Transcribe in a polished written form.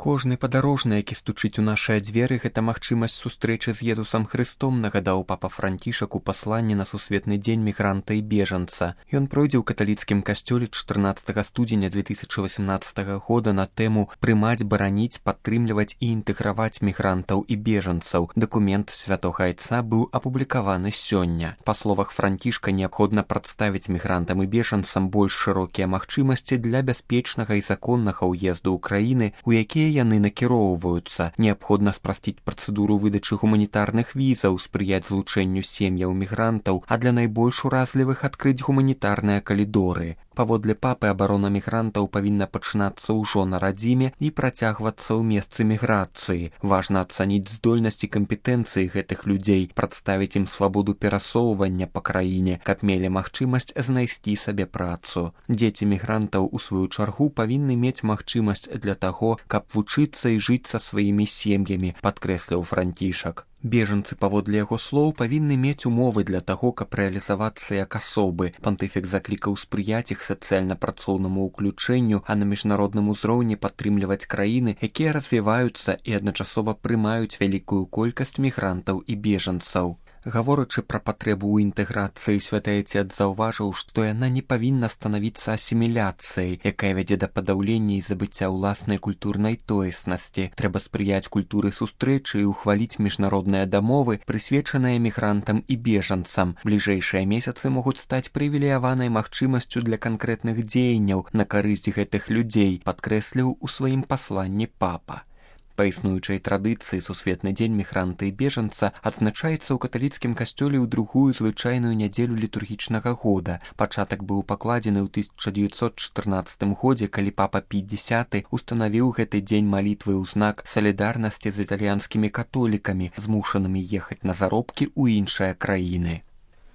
Кожны падарожны, які стучыць у нашыя дзверы, гэта магчымасць сустрэчы з Езусам Хрыстом, нагадаў папа Францішак у пасланні на сусветны дзень мігранта і бежанца. Ён пройдзе ў каталіцкім касцёле 14 студзеня 2018 года на тэму «Прымаць, бараніць, падтрымліваць і інтэграваць мігрантаў і бежанцаў». Дакумент святога айца быў апублікаваны сёння. Па словах Францішка, неабходна прадставіць мігрантам і бежанцам больш шырокія магчымасці для бяспечнага і законнага ўезду ў краіны, у якія яны накіроўваюцца. Неабходна спрасціць працэдуру выдачы гуманітарных візаў, спрыяць злучэнню сем'яў мігрантаў, а для найбольш уразлівых адкрыць гуманітарныя калідоры. Паводле папы, абарона мігрантаў павінна пачынацца ўжо на радзіме і працягвацца ў месцы міграцыі. Важна ацаніць здольнасць і кампетэнцыі гэтых людзей, прадставіць ім свабоду перасоўвання па краіне, каб мелі магчымасць знайсці сабе працу. Дзеці мігрантаў, у сваю чаргу, павінны мець магчымасць для таго, каб вучыцца і жыць са сваімі сем'ямі, падкрэсліў Францішак. Бежанцы, паводле яго слоў, павінны мець умовы для таго, каб рэалізавацца як асобы. Пантыфік заклікаў спрыяць іх сацыяльна-працоўнаму ўключэнню, а на міжнародным узроўні падтрымліваць краіны, якія развіваюцца і адначасова прымаюць вялікую колькасць мігрантаў і бежанцаў. Гаворачы пра патрэбу ў інтэграцыі, святы айцец заўважыў, што яна не павінна станавіцца асіміляцыяй, якая вядзе да падаўлення і забыцця ўласнай культурнай тоеснасці. Трэба спрыяць культуры сустрэчы і ўхваліць міжнародныя дамовы, прысвечаныя мігрантам і бежанцам. Бліжэйшыя месяцы могуць стаць прывілеяванай магчымасцю для канкрэтных дзеянняў на карысць гэтых людзей, падкрэсліў у сваім пасланні папа. Па існуючай традыцыі сусветны дзень мігранта і бежанца адзначаецца ў каталіцкім касцёле ў другую звычайную нядзелю літургічнага года. Пачатак быў пакладзены ў 1914 годзе, калі папа Пій X устанавіў гэты дзень малітвы ў знак салідарнасці з італьянскімі католікамі, змушанымі ехаць на заробкі ў іншыя краіны.